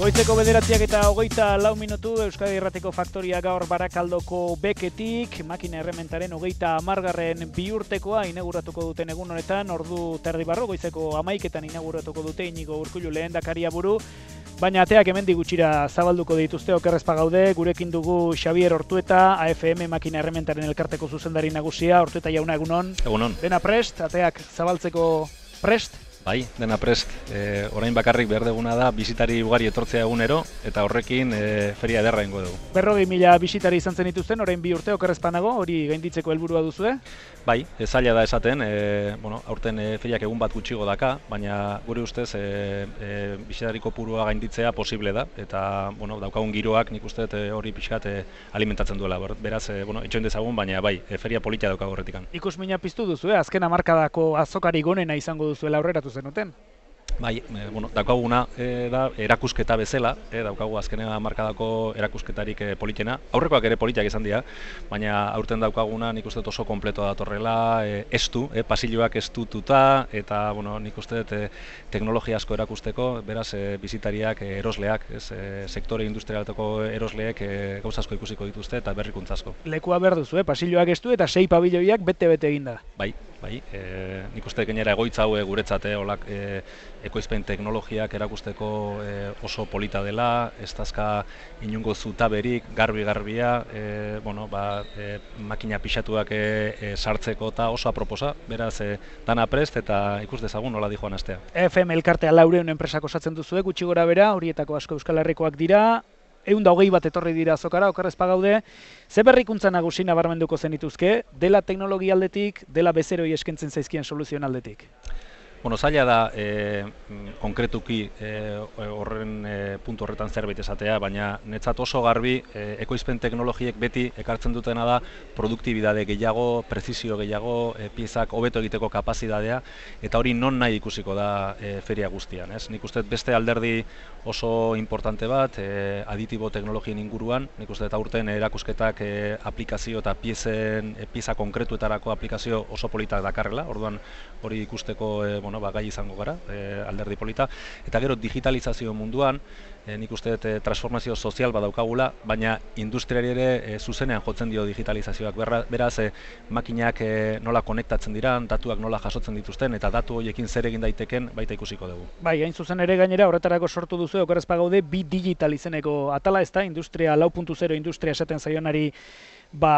Goizeko 9:24 Euskadi Irratiko Faktoria gaur Barakaldoko beketik, makina errementaren 30. bihurtekoa inauguratuko duten egun honetan, ordu terdi barro, goizeko 11:00 inauguratuko dute Inigo Urkullu lehendakaria buru, baina ateak hemendik gutxira zabalduko dituzte. Oker ez bagaude, gurekin dugu Xabier Ortueta, AFM makina errementaren elkarteko zuzendari nagusia. Ortueta jauna, egunon. Egunon. Dena prest, ateak zabaltzeko prest? Bai, dena prest. Orain bakarrik behar duguna da bizitari ugari etortzea egunero, eta horrekin feria ederra ingo dugu. 40.000 bisitari izan zen dituzten, orain 2 urte okerrezpanago, hori gainditzeko helburua duzue? Bai, zaila da esaten, aurten feriak egun bat gutxigo daka, baina gure ustez bisitari kopurua gainditzea posible da, eta daukagun giroak nik uste hori pixkat alimentatzen duela. Beraz, itxoin dezagun, baina bai, feria polita daukagu horretikan. Ikusmina piztu duzu, azken hamarkadako azokari gonena izango duzuela aurreratu zenuten? Bai, daukaguna da erakusketa bezala, daukagu azkenea hamarkadako erakusketarik politena. Aurrekoak ere politak izan dira, baina aurten daukaguna nik uste oso kompleto datorrela, estu, pasilloak estututa, eta nik uste teknologia asko erakusteko, beraz bisitariak, erosleak, sektore industrialetako erosleek gauza asko ikusiko dituzte eta berrikuntza asko. Lekua behar duzu, pasilloak estu eta 6 pabiloiak bete-bete eginda. Bai, nik uste gainera egoitza hau guretzat ekoizpen teknologiak erakusteko oso polita dela, ez dazka inungo zutaberik, garbi-garbia, makina pixatuak sartzeko eta oso aproposa, beraz dana prest eta ikus dezagun nola dijoan astea. FM elkartea 400 enpresak osatzen duzue, gutxi gora bera, horietako asko Euskal Herrikoak dira, 120 bat etorri dira azokara, okerrez pagaude. Ze berrikuntza nagusi nabarmenduko zenituzke, dela teknologia aldetik, dela bezeroi eskentzen zaizkien soluzioen aldetik? Zaila da konkretuki puntu horretan zerbait esatea, baina netzat oso garbi ekoizpen teknologiek beti ekartzen dutena da produktibidade gehiago, prezisio gehiago, piezak hobeto egiteko kapazitatea, eta hori non nahi ikusiko da feria guztian. Nik uste beste alderdi oso importante bat, aditibo teknologien inguruan, nik uste aurten erakusketak aplikazio eta pieza konkretuetarako aplikazio oso politak dakarrela, orduan hori ikusteko gai izango gara, alderdi polita. Eta gero digitalizazio munduan, nik uste transformazio sozial badaukagula, baina industriari ere zuzenean jotzen dio digitalizazioak. Beraz, makinak nola konektatzen diran, datuak nola jasotzen dituzten, eta datu horiekin zer egin daiteken baita ikusiko dugu. Bai, hain zuzen ere gainera horretarako sortu duzu, okerrez pagaude, bi digital izeneko atala, ez da, industria 4.0 industria esaten zaionari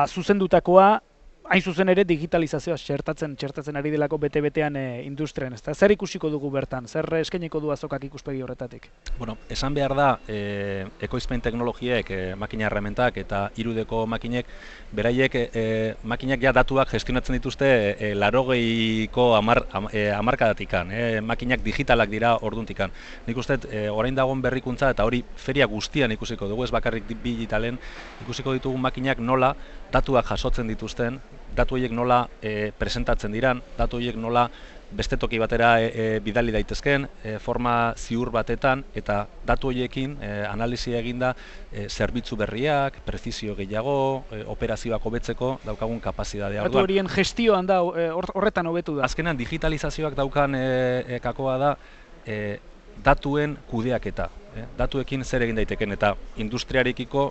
zuzendutakoa, hain zuzen ere digitalizazioa txertatzen ari delako bete-betean industrian, ez da? Zer ikusiko dugu bertan? Zer eskainiko du azokak ikuspegi horretatik? Esan behar da, ekoizpen teknologiek, makina errementak eta irudeko makinek, beraiek makinak ja datuak gestionatzen dituzte 80ko hamarkadatikan, makinak digitalak dira orduntikan. Nik uste, orain dagoen berrikuntza eta hori feria guztian ikusiko dugu, ez bakarrik digitalen, ikusiko ditugu makinak nola datuak jasotzen dituzten, datu horiek nola presentatzen diran, datu horiek nola beste toki batera bidali daitezken, forma ziur batetan, eta datu horiekin analisia eginda zerbitzu berriak, prezisio gehiago, operazioak hobetzeko daukagun kapazitatea. Datu horien gestioan da, horretan hobetu da. Azkenan digitalizazioak daukan kakoa da datuen kudeaketa. Datuekin zer egin daiteken, eta industriarekiko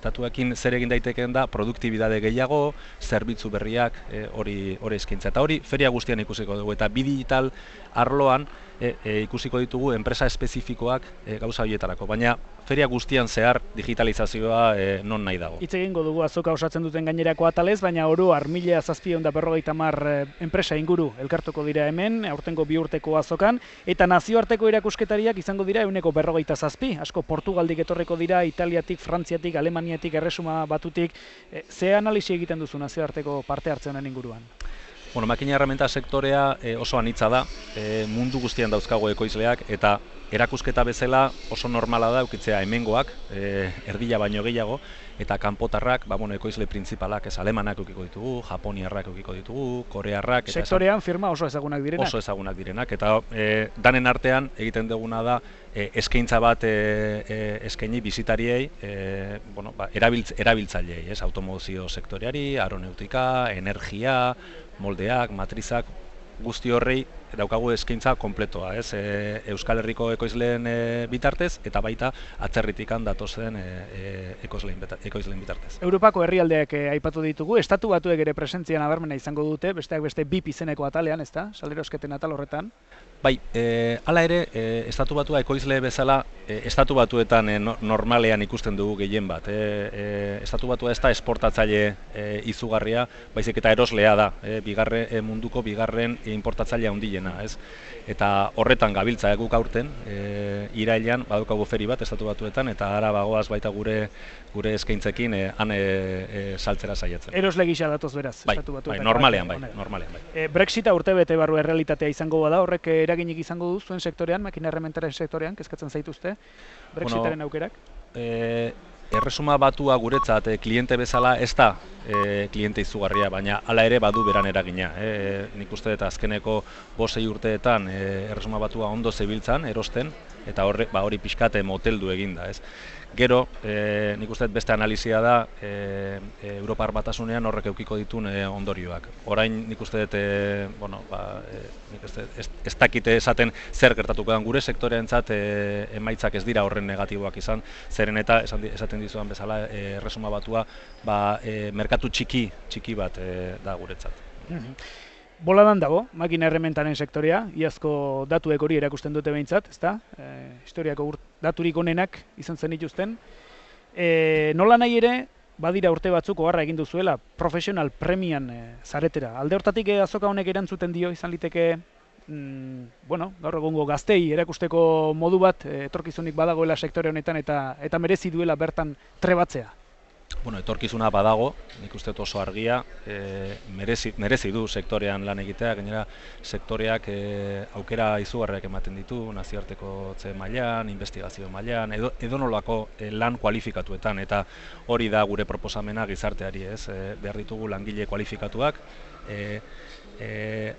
datuekin zer egin daiteken da produktibidade gehiago, zerbitzu berriak hori eskaintza. Eta hori feria guztian ikusiko dugu, eta bi digital arloan ikusiko ditugu enpresa espezifikoak gauza horietarako, baina feria guztian zehar digitalizazioa non nahi dago. Hitz egingo dugu azoka osatzen duten gainerako atalez, baina oro 1750 enpresa inguru elkartuko dira hemen, aurtengo 2 urteko azokan, eta nazioarteko erakusketariak izango dira 157, asko Portugaldik etorriko dira, Italiatik, Frantziatik, Alemaniatik, Erresuma Batutik. Ze analisi egiten duzu nazioarteko parte hartzen honen inguruan? Makina erreminta sektorea oso anitza da, mundu guztian dauzkago ekoizleak, eta erakusketa bezala oso normala da eukitzea hemengoak, erdila baino gehiago, eta kanpotarrak, ekoizle printzipalak, alemanak eukiko ditugu, japoniarrak eukiko ditugu, korearrak. Sektorean firma oso ezagunak direnak. Oso ezagunak direnak, eta danen artean egiten duguna da eskaintza bat eskaini bizitariei, erabiltzaileei, automozio sektoreari, aeronautika, energia, moldeak, matrizak, guzti horrei daukagu eskaintza konpletoa, ez? Euskal Herriko ekoizleen bitartez eta baita atzerritikan datozen ekoizleen bitartez. Europako herrialdeak aipatu ditugu, estatu batuek ere presentzia nabarmena izango dute, besteak beste BIP izeneko atalean, ezta? Salerosketen atal horretan. Bai, hala ere, estatu batua ekoizle bezala, estatu batuetan normalean ikusten dugu gehien bat. Estatu batua ez da esportatzaile izugarria, baizik eta eroslea da, munduko bigarren importatzaile handiena, ez? Eta horretan gabiltza guk aurten, irailean badaukagu feri bat estatu batuetan, eta ara bagoaz baita gure eskaintzekin han saltzera saiatzen. Erosle gisa datoz beraz, bai, estatu batuetan. Normalean bai. Brexita urtebete barru errealitatea izango bada, horrek eraginik izango du zuen sektorean, makina errementaren sektorean, kezkatzen zaituzte, Brexitaren aukerak? Erresuma Batua guretzat kliente bezala ez da kliente izugarria, baina hala ere badu beran eragina. Nik uste dut azkeneko 5-6 urteetan Erresuma Batua ondo zebiltzan, erosten, eta hori pixkate moteldu eginda. Gero, nik uste dut beste analizia da Europar Batasunean horrek eukiko ditun ondorioak. Orain nik uste dut, ez dakite esaten zer gertatuko den gure sektoreentzat emaitzak ez dira horren negatiboak izan, zeren eta esaten dizudan bezala Erresuma Batua merkatu txiki bat da guretzat. Boladan dago, makina errementaren sektorea, iazko datuek hori erakusten dute behintzat, ezta? Historiako daturik onenak izan zen dituzten. Nola nahi ere, badira urte batzuk oharra egin duzuela, profesional premian zaretera. Alde hortatik azoka honek erantzuten dio izan liteke, gaur egungo gaztei erakusteko modu bat, etorkizunik badagoela sektore honetan eta merezi duela bertan trebatzea. Etorkizuna badago, nik uste oso argia, merezi du sektorean lan egitea, gainera sektoreak aukera izugarriak ematen ditu, nazioarteko mailan, investigazio mailan, edonolako lan kualifikatuetan, eta hori da gure proposamena gizarteari, ez? Behar ditugu langile kualifikatuak,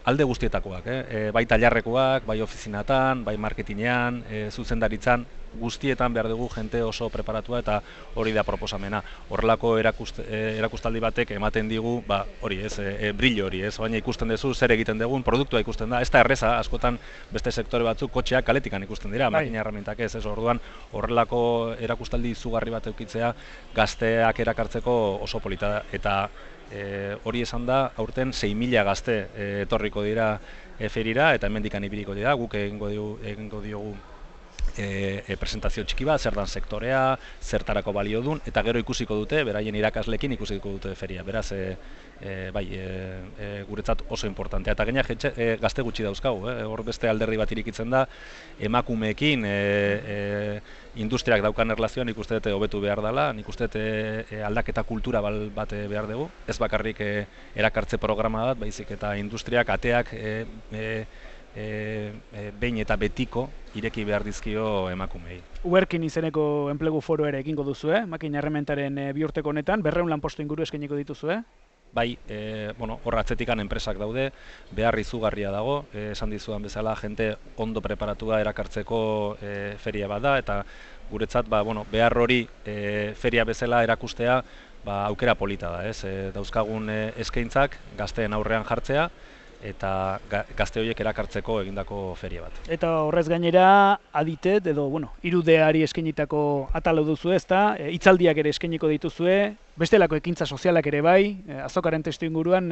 alde guztietakoak, bai tailarrekoak, bai ofizinatan, bai marketinean, zuzendaritzan, guztietan behar dugu jente oso preparatua eta hori da proposamena. Horrelako erakustaldi batek ematen digu, brillo hori, baina ikusten duzu zer egiten dugun, produktua ikusten da, ez da erreza, askotan beste sektore batzuk kotxeak kaletikan ikusten dira, makina erremintak ez, orduan horrelako erakustaldi izugarri bat eukitzea gazteak erakartzeko oso polita da, eta hori esan da, aurten 6.000 gazte etorriko dira ferira eta hemendikan ibiliko dira, guk egingo diogu presentazio txiki bat, zer dan sektorea, zertarako balio dun, eta gero ikusiko dute, beraien irakaslekin ikusiko dute feria. Beraz, guretzat oso importantea. Eta gaina gazte gutxi dauzkagu, hor beste alderdi bat irikitzen da, emakumeekin industriak daukan erlazioan nik uste dute hobetu behar dela, nik uste dute aldaketa kultura bat behar dugu, ez bakarrik erakartze programa bat, baizik eta industriak, ateak, behin eta betiko ireki behar dizkio emakumei. Uerkin izeneko enplegu foro ere egingo duzue, makina errementaren bi urteko honetan, 200 lanpostu inguru eskainiko dituzue? Bai, hor atzetikan enpresak daude, behar izugarria dago, esan dizudan bezala, jente ondo preparatua erakartzeko feria bat da, eta guretzat behar hori feria bezala erakustea aukera polita da, dauzkagun eskaintzak gazteen aurrean jartzea, eta gazte horiek erakartzeko egindako feria bat. Eta horrez gainera, aditet, edo, irudeari eskainitako atalo duzu ezta, hitzaldiak ere eskainiko dituzue, bestelako ekintza sozialak ere bai, azokaren testu inguruan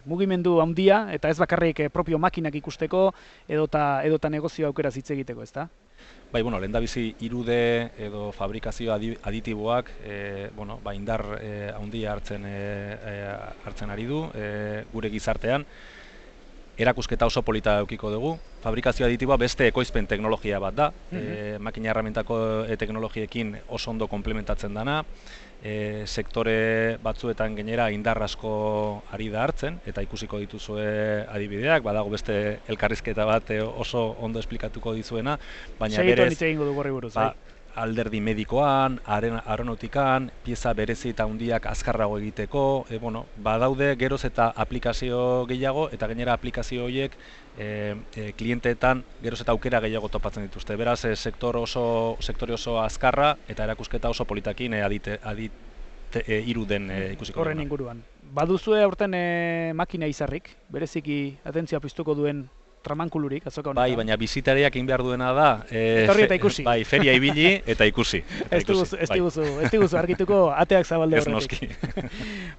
mugimendu handia, eta ez bakarrik propio makinak ikusteko, edota negozio aukera hitz egiteko, ezta? Bai, lehendabizi irude edo fabrikazio aditiboak indar handia hartzen ari du gure gizartean. Erakusketa oso polita eukiko dugu. Fabrikazio aditiboa beste ekoizpen teknologia bat da. Makina erramintako teknologiekin oso ondo komplementatzen dana. Sektore batzuetan gainera indar asko ari da hartzen, eta ikusiko dituzue adibideak, badago beste elkarrizketa bat oso ondo esplikatuko dizuena, baina berez alderdi medikoan, aeronautikan, pieza berezi eta handiak azkarrago egiteko, badaude geroz eta aplikazio gehiago, eta gainera aplikazio horiek klienteetan geroz eta aukera gehiago topatzen dituzte. Beraz, sektore oso azkarra eta erakusketa oso politakin iruden ikusiko. Horren inguruan. Baduzue aurten makina izarrik, bereziki atentzioa piztuko duen tramankulurik azoka honetan. Bai, baina bizitariak egin behar duena da, etorri eta ikusi. Bai, feria ibili eta ikusi. Ez diguzu argituko ateak zabalde horretik. Ez noski.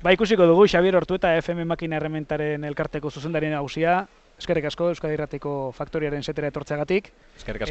Ba, ikusiko dugu Xabier Ortueta FM Makina Errementaren elkarteko zuzendarien nagusia. Eskerrik asko Euskadi Irratiko Faktoriaren setera etortzeagatik. Eskerrik asko.